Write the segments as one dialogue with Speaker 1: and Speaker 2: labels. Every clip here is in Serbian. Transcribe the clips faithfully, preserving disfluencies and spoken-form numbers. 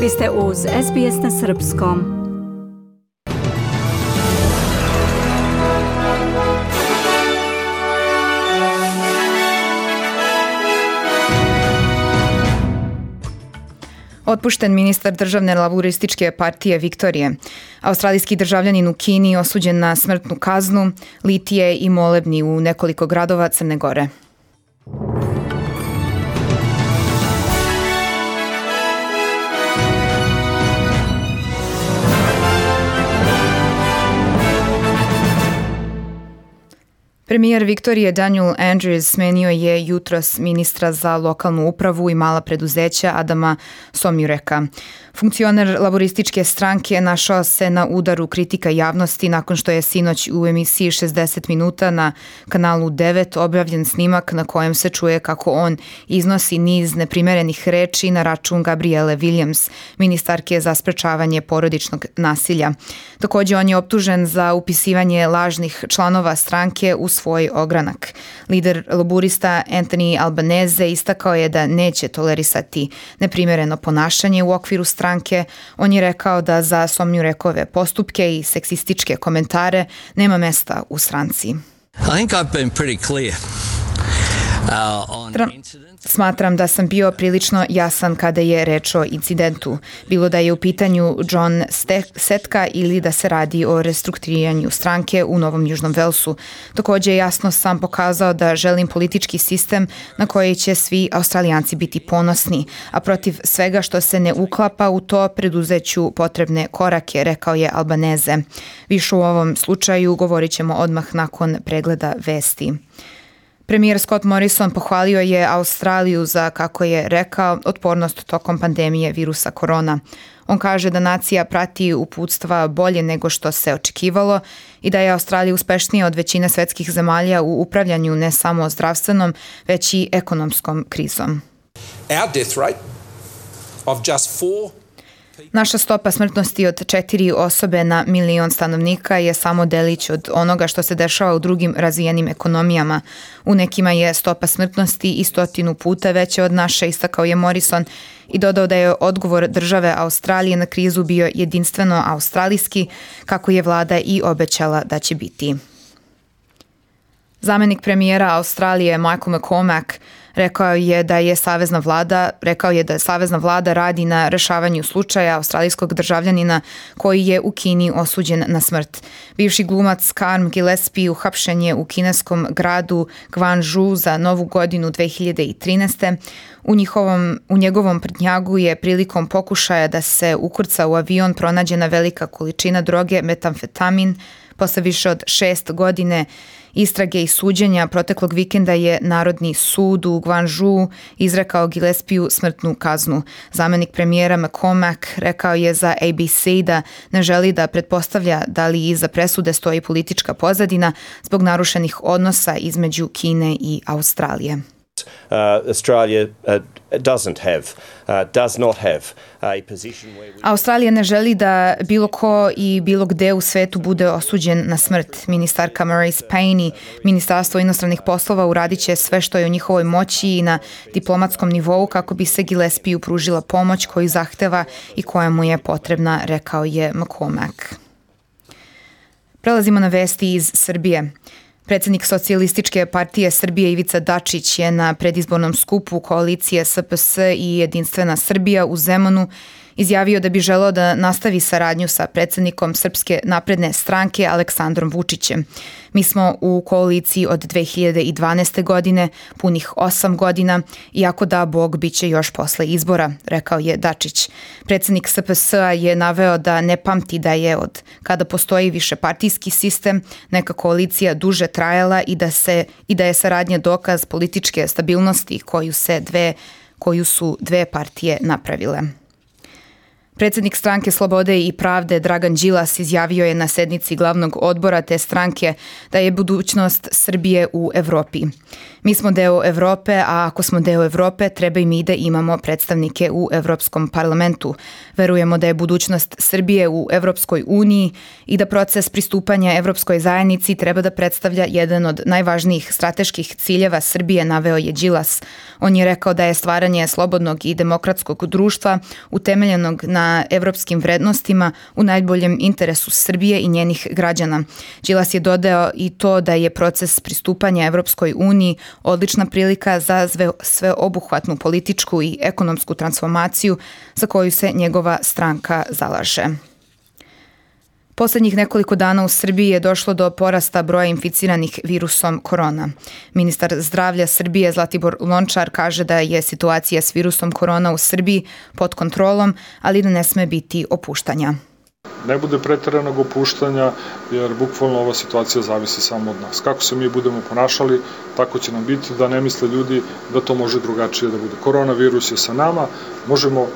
Speaker 1: Vi ste uz S B S na srpskom.
Speaker 2: Otpušten ministar državne laburističke partije Viktorije. Australijski državljanin u Kini osuđen na smrtnu kaznu, litije i molebni u nekoliko gradova Crne Gore. Premijer Viktorije Daniel Andrews smenio je jutros ministra za lokalnu upravu i mala preduzeća Adama Somjureka. Funkcioner laborističke stranke našao se na udaru kritika javnosti nakon što je sinoć u emisiji šezdeset minuta na kanalu devet objavljen snimak na kojem se čuje kako on iznosi niz neprimerenih reči na račun Gabriele Williams, ministarke za sprečavanje porodičnog nasilja. Također on je optužen za upisivanje lažnih članova stranke u svoj ogranak. Lider laburista Anthony Albanese istakao je da neće tolerisati neprimereno ponašanje u okviru stranke. On je rekao da za Somjurekove postupke i seksističke komentare nema mesta u stranci.
Speaker 3: I think I've been pretty clear. Uh,
Speaker 2: Smatram da sam bio prilično jasan kada je reč o incidentu, bilo da je u pitanju John Setka ili da se radi o restrukturiranju stranke u Novom Južnom Velsu. Također jasno sam pokazao da želim politički sistem na koji će svi Australijanci biti ponosni, a protiv svega što se ne uklapa u to preduzeću potrebne korake, rekao je Albanese. Više u ovom slučaju govorit ćemo odmah nakon pregleda vesti. Premijer Scott Morrison pohvalio je Australiju za, kako je rekao, otpornost tokom pandemije virusa korona. On kaže da nacija prati uputstva bolje nego što se očekivalo i da je Australija uspešnija od većine svetskih zemalja u upravljanju ne samo zdravstvenom, već i ekonomskom krizom.
Speaker 4: Our death rate of just four
Speaker 2: Naša stopa smrtnosti od četiri osobe na milion stanovnika je samo delić od onoga što se dešava u drugim razvijenim ekonomijama. U nekima je stopa smrtnosti i stotinu puta veća od naše, istakao je Morrison i dodao da je odgovor države Australije na krizu bio jedinstveno australijski, kako je vlada i obećala da će biti. Zamenik premijera Australije Michael McCormack rekao je da je savezna vlada, rekao je da savezna vlada radi na rešavanju slučaja australijskog državljanina koji je u Kini osuđen na smrt. Bivši glumac Carm Gillespie uhapšen je u kineskom gradu Guangzhou za Novu godinu dve hiljade trinaeste. U, njihovom, u njegovom prtnjagu je prilikom pokušaja da se ukrca u avion pronađena velika količina droge metamfetamin. Posle više od šest godine istrage i suđenja proteklog vikenda je Narodni sud u Guangzhou izrekao Gillespiju smrtnu kaznu. Zamenik premijera McCormack rekao je za A B C da ne želi da pretpostavlja da li iza presude stoji politička pozadina zbog narušenih odnosa između Kine i Australije.
Speaker 5: Uh, Australia uh, doesn't have, uh, does not have a position where we...
Speaker 2: Australija ne želi da bilo ko i bilo gde u svetu bude osuđen na smrt. Ministarka Marise Payne i Ministarstvo inostranih poslova uradit će sve što je u njihovoj moći i na diplomatskom nivou kako bi se Gillespiju pružila pomoć koju zahteva i koja mu je potrebna, rekao je McCormack. Prelazimo na vesti iz Srbije. Predsjednik Socijalističke partije Srbije Ivica Dačić je na predizbornom skupu koalicije S P S i Jedinstvena Srbija u Zemunu izjavio da bi želeo da nastavi saradnju sa predsjednikom Srpske napredne stranke Aleksandrom Vučićem. Mi smo u koaliciji od dve hiljade dvanaeste. godine, punih osam godina, i ako da Bog, bit će još posle izbora, rekao je Dačić. Predsjednik S P S-a je naveo da ne pamti da je od kada postoji višepartijski sistem neka koalicija duže trajala i da, se, i da je saradnja dokaz političke stabilnosti koju, se dve, koju su dve partije napravile. Predsjednik stranke Slobode i pravde Dragan Đilas izjavio je na sednici glavnog odbora te stranke da je budućnost Srbije u Evropi. Mi smo deo Evrope, a ako smo deo Evrope, treba i mi da imamo predstavnike u Evropskom parlamentu. Verujemo da je budućnost Srbije u Evropskoj uniji i da proces pristupanja Evropskoj zajednici treba da predstavlja jedan od najvažnijih strateških ciljeva Srbije, naveo je Đilas. On je rekao da je stvaranje slobodnog i demokratskog društva utemeljenog na evropskim vrednostima u najboljem interesu Srbije i njenih građana. Đilas je dodao i to da je proces pristupanja Evropskoj uniji odlična prilika za sveobuhvatnu političku i ekonomsku transformaciju za koju se njegova stranka zalaže. Poslednjih nekoliko dana u Srbiji je došlo do porasta broja inficiranih virusom korona. Ministar zdravlja Srbije Zlatibor Lončar kaže da je situacija s virusom korona u Srbiji pod kontrolom, ali da ne sme biti opuštanja.
Speaker 6: Ne bude pretjeranog opuštanja, jer bukvalno ova situacija zavisi samo od nas. Kako se mi budemo ponašali, tako će nam biti, da ne misle ljudi da to može drugačije da bude. Koronavirus je sa nama, možemo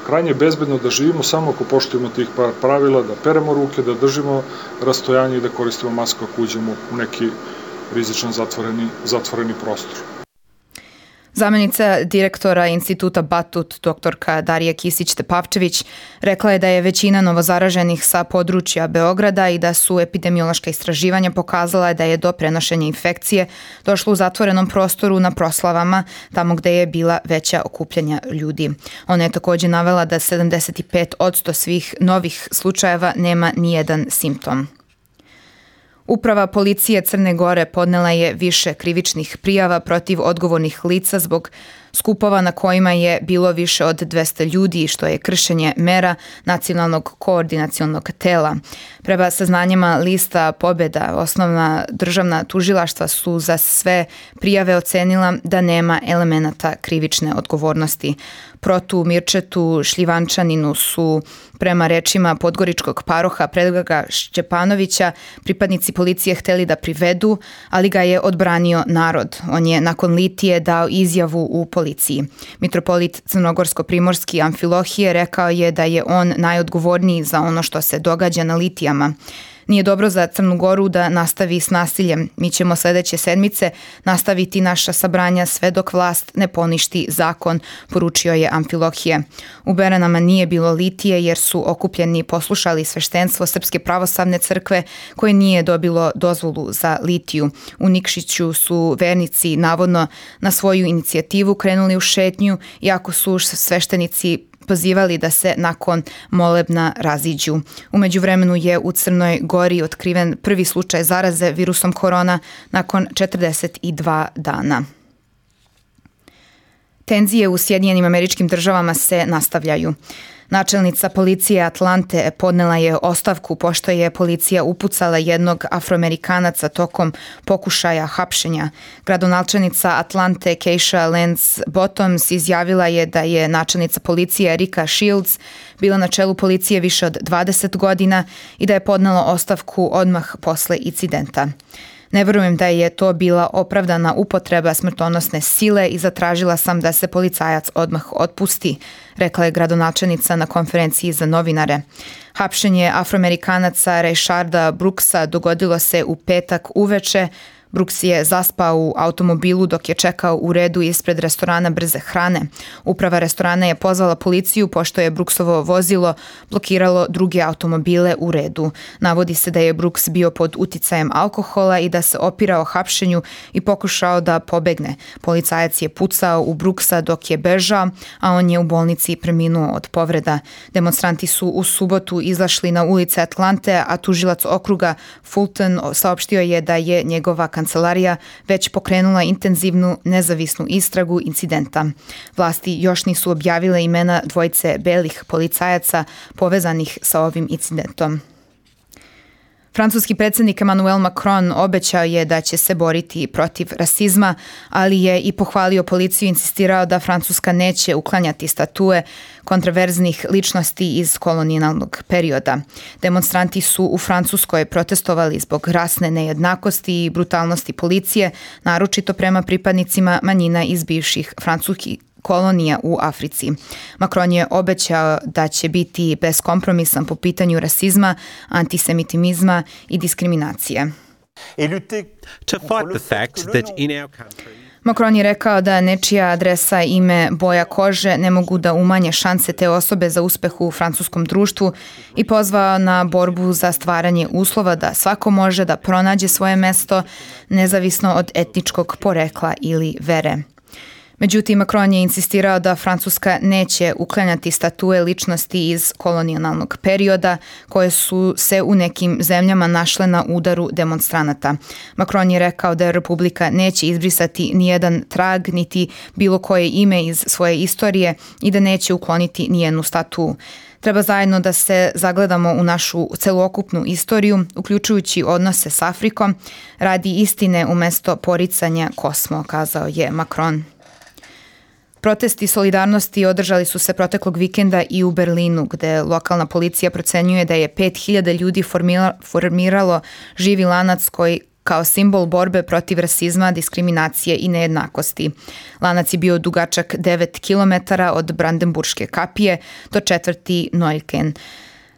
Speaker 6: krajnje bezbedno da živimo samo ako poštujemo tih par pravila, da peremo ruke, da držimo rastojanje i da koristimo masku ako uđemo u neki rizičan zatvoreni, zatvoreni prostor.
Speaker 2: Zamenica direktora instituta Batut, doktorka Darija Kisić-Tepavčević, rekla je da je većina novozaraženih sa područja Beograda i da su epidemiološka istraživanja pokazala da je do prenošenja infekcije došlo u zatvorenom prostoru na proslavama, tamo gde je bila veća okupljanja ljudi. Ona je također navela da sedamdeset pet posto svih novih slučajeva nema nijedan simptom. Uprava policije Crne Gore podnela je više krivičnih prijava protiv odgovornih lica zbog skupova na kojima je bilo više od dvesta ljudi, što je kršenje mera nacionalnog koordinacionog tela. Prema saznanjima lista Pobjeda, osnovna državna tužilaštva su za sve prijave ocenila da nema elemenata krivične odgovornosti. Protu Mirčetu Šljivančaninu su, prema rečima podgoričkog paroha Predraga Šćepanovića, pripadnici policije hteli da privedu, ali ga je odbranio narod. On je nakon litije dao izjavu u policiji. Mitropolit Crnogorsko-Primorski Amfilohije rekao je da je on najodgovorniji za ono što se događa na litijama. Nije dobro za Crnu Goru da nastavi s nasiljem. Mi ćemo sljedeće sedmice nastaviti naša sabranja sve dok vlast ne poništi zakon, poručio je Amfilohije. U Beranama nije bilo litije jer su okupljeni poslušali sveštenstvo Srpske pravoslavne crkve koje nije dobilo dozvolu za litiju. U Nikšiću su vernici navodno na svoju inicijativu krenuli u šetnju, iako su sveštenici pozivali da se nakon molebna raziđu. U međuvremenu je u Crnoj Gori otkriven prvi slučaj zaraze virusom korona nakon četrdeset dva dana. Tenzije u Sjedinjenim Američkim Državama se nastavljaju. Načelnica policije Atlante podnela je ostavku pošto je policija upucala jednog Afroamerikanaca tokom pokušaja hapšenja. Gradonačelnica Atlante Keisha Lance Bottoms izjavila je da je načelnica policije Erika Shields bila na čelu policije više od dvadeset godina i da je podnela ostavku odmah posle incidenta. Ne verujem da je to bila opravdana upotreba smrtonosne sile i zatražila sam da se policajac odmah otpusti, rekla je gradonačelnica na konferenciji za novinare. Hapšenje Afroamerikanaca Rayšarda Brooksa dogodilo se u petak uveče. Brooks je zaspao u automobilu dok je čekao u redu ispred restorana brze hrane. Uprava restorana je pozvala policiju pošto je Brooksovo vozilo blokiralo druge automobile u redu. Navodi se da je Brooks bio pod uticajem alkohola i da se opirao hapšenju i pokušao da pobegne. Policajac je pucao u Brooksa dok je bežao, a on je u bolnici preminuo od povreda. Demonstranti su u subotu izašli na ulice Atlante, a tužilac okruga Fulton saopštio je da je njegova kancelarija već pokrenula intenzivnu nezavisnu istragu incidenta. Vlasti još nisu objavile imena dvojice belih policajaca povezanih sa ovim incidentom. Francuski predsjednik Emmanuel Macron obećao je da će se boriti protiv rasizma, ali je i pohvalio policiju i insistirao da Francuska neće uklanjati statue kontroverznih ličnosti iz kolonijalnog perioda. Demonstranti su u Francuskoj protestovali zbog rasne nejednakosti i brutalnosti policije, naročito prema pripadnicima manjina iz bivših francuskih kolonija u Africi. Macron je obećao da će biti beskompromisan po pitanju rasizma, antisemitizma i diskriminacije.
Speaker 7: To fight the fact that in our country
Speaker 2: Macron je rekao da nečija adresa, ime, boja kože ne mogu da umanje šanse te osobe za uspeh u francuskom društvu i pozvao na borbu za stvaranje uslova da svako može da pronađe svoje mesto nezavisno od etničkog porekla ili vere. Međutim, Macron je insistirao da Francuska neće uklanjati statue ličnosti iz kolonijalnog perioda koje su se u nekim zemljama našle na udaru demonstranata. Macron je rekao da Republika neće izbrisati nijedan trag niti bilo koje ime iz svoje istorije i da neće ukloniti nijednu statu. Treba zajedno da se zagledamo u našu celokupnu istoriju, uključujući odnose s Afrikom, radi istine umesto poricanja kosmo, kazao je Macron. Protesti solidarnosti održali su se proteklog vikenda i u Berlinu, gde lokalna policija procenjuje da je pet hiljada ljudi formiralo živi lanac koji kao simbol borbe protiv rasizma, diskriminacije i nejednakosti. Lanac je bio dugačak devet kilometara od Brandenburške kapije do četvrti Neukölln.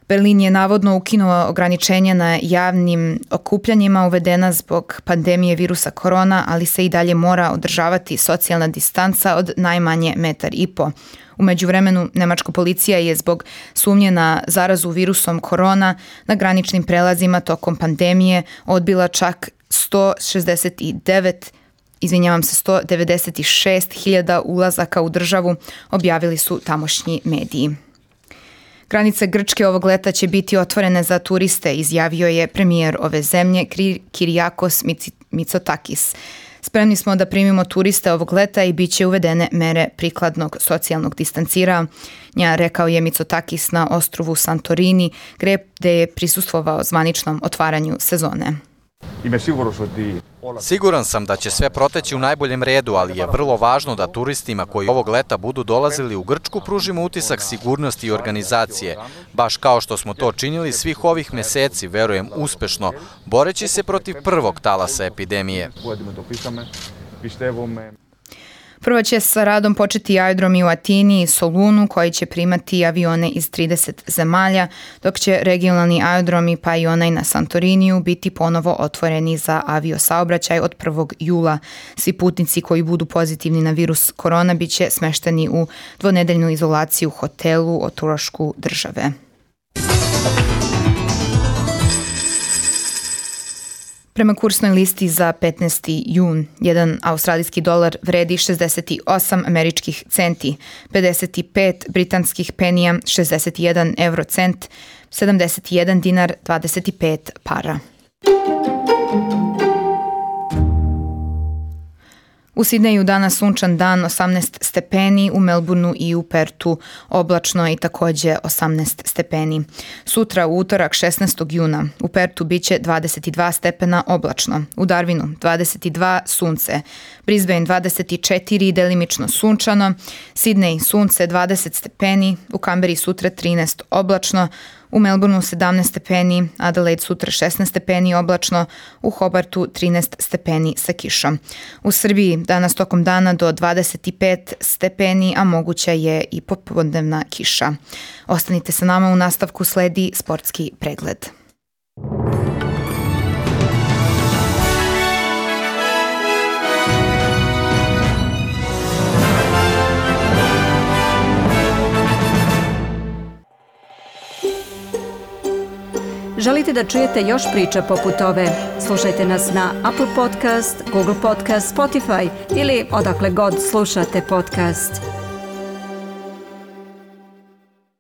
Speaker 2: Berlin je navodno ukinuo ograničenja na javnim okupljanjima uvedena zbog pandemije virusa korona, ali se i dalje mora održavati socijalna distanca od najmanje metar i po. U međuvremenu, nemačka policija je zbog sumnje na zarazu virusom korona na graničnim prelazima tokom pandemije odbila čak sto šezdeset devet izvinjavam se, sto devedeset šest hiljada ulazaka u državu, objavili su tamošnji mediji. Granice Grčke ovog leta će biti otvorene za turiste, izjavio je premijer ove zemlje Kyriakos Mitsotakis. Spremni smo da primimo turiste ovog leta i bit će uvedene mere prikladnog socijalnog distanciranja, rekao je Mitsotakis na ostrvu Santorini, gde je prisustvovao zvaničnom otvaranju sezone.
Speaker 8: Siguran sam da će sve proteći u najboljem redu, ali je vrlo važno da turistima koji ovog leta budu dolazili u Grčku pružimo utisak sigurnosti i organizacije, baš kao što smo to činili svih ovih meseci, verujem uspešno, boreći se protiv prvog talasa epidemije.
Speaker 2: Prvo će sa radom početi aerodromi u Atini i Solunu koji će primati avione iz trideset zemalja, dok će regionalni aerodromi pa i onaj na Santoriniju biti ponovo otvoreni za aviosaobraćaj od prvog jula. Svi putnici koji budu pozitivni na virus korona bit će smešteni u dvonedeljnu izolaciju u hotelu o trošku države. Prema kursnoj listi za petnaesti jun, jedan australijski dolar vredi šezdeset osam američkih centi, pedeset pet britanskih penija, šezdeset jedan eurocent, sedamdeset jedan dinar, dvadeset pet para. U Sidneju danas sunčan dan, osamnaest stepeni, u Melbourneu i u Pertu oblačno i takođe osamnaest stepeni. Sutra u utorak šesnaestog juna u Pertu biće dvadeset dva stepena oblačno, u Darwinu dvadeset dva sunce, Brisbane dvadeset četiri delimično sunčano, Sidney sunce dvadeset stepeni, u Kamberi sutra trinaest oblačno, u Melbourneu sedamnaest stepeni, Adelaide sutra šesnaest stepeni oblačno, u Hobartu trinaest stepeni sa kišom. U Srbiji danas tokom dana do dvadeset pet stepeni, a moguća je i popodnevna kiša. Ostanite sa nama, u nastavku sledi sportski pregled.
Speaker 1: Želite da čujete još priča poput ove? Slušajte nas na Apple Podcast, Google Podcast, Spotify ili odakle god slušate podcast.